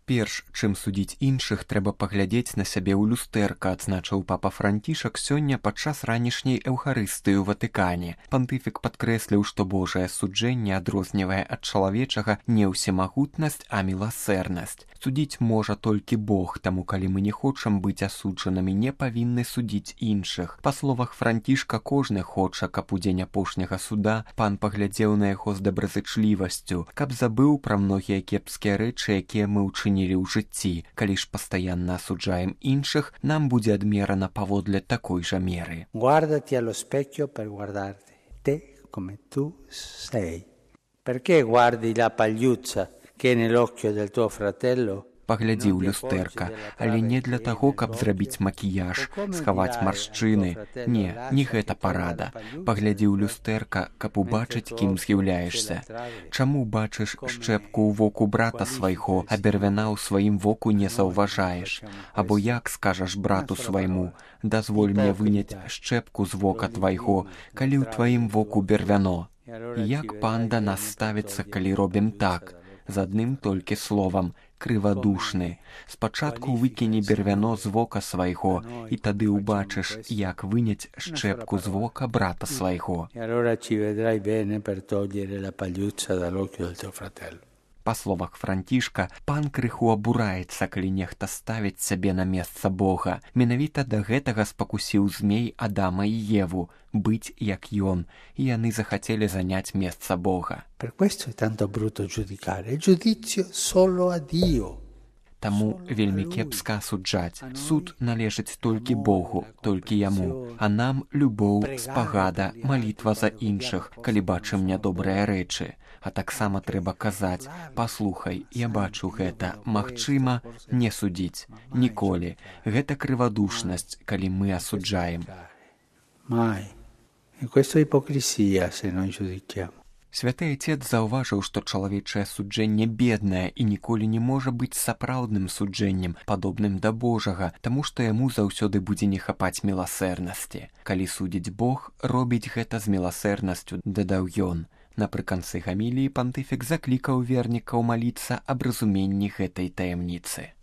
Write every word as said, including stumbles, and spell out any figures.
Перш, чым судзіць іншых, трэба паглядзець на сябе ў люстэрка, адзначыў папа Францішак сёння падчас ранішняй эўхарыстыі ў Ватыкане. Пантыфік падкрэсліў, што Божае суджэнне адрознівае ад чалавечага не ўсемагутнасць, а міласэрнасць. Судзіць можа толькі Бог, таму калі мы не хочам быць асуджанымі, не павінны судзіць іншых. Па словах Францішка, кожны хоча, каб у дзень апошняга суда пан паглядзеў на яго з добразычлівасцю, каб забыў пра многія кепскія рэчы, якія мы ўчынілі ў жыцці. Калі ж пастаянна асуджаем іншых, нам будзе адмерана паводле такой жа меры. Guardati allo specchio per guardarti, te come tu sei. Perché guardi la pagliuzza che è nell'occhio del tuo fratello? Паглядзі ў люстэрка, але не для таго, каб зрабіць макіяж, схаваць маршчыны. Не, не гэта парада. Паглядзі ў люстэрка, каб убачыць, кім з'яўляешся. Чаму бачыш шчэпку ў воку брата свайго, а бервяна ў сваім воку не заўважаеш? Або як скажаш брату свайму: дазволь мне выняць шчэпку з вока твайго, калі ў тваім воку бервяно? Як пан да нас ставіцца, калі робім так? З адным толькі словам: крывадушны. Спачатку выкіне бервяно з вока свайго, і тады ўбачыш, як выняць шчэпку з вока брата свайго. Па словах Францішка, пан крыху абураецца, калі нехта ставіць сябе на месца Бога. Менавіта да гэтага спакусіў змей Адама і Еву — быць як ён, і яны захацелі заняць месца Бога. Таму вельмі кепска асуджаць. Суд належыць толькі Богу, толькі яму. А нам любоў, спагада, малітва за іншых, калі бачым нядобрыя рэчы. А таксама трэба казаць: паслухай, я бачу гэта, магчыма, не судзіць. Ніколі. Гэта крывадушнасць, калі мы асуджаем. Святы Айцец заўважыў, што чалавечае суджэнне беднае і ніколі не можа быць сапраўдным суджэннем, падобным да Божага, таму што яму заўсёды будзе не хапаць міласэрнасці. Калі судзіць Бог, робіць гэта з міласэрнасцю, дадаў ён. Напрыканцы гаміліі пантыфік заклікаў вернікаў маліцца аб разуменні гэтай таямніцы.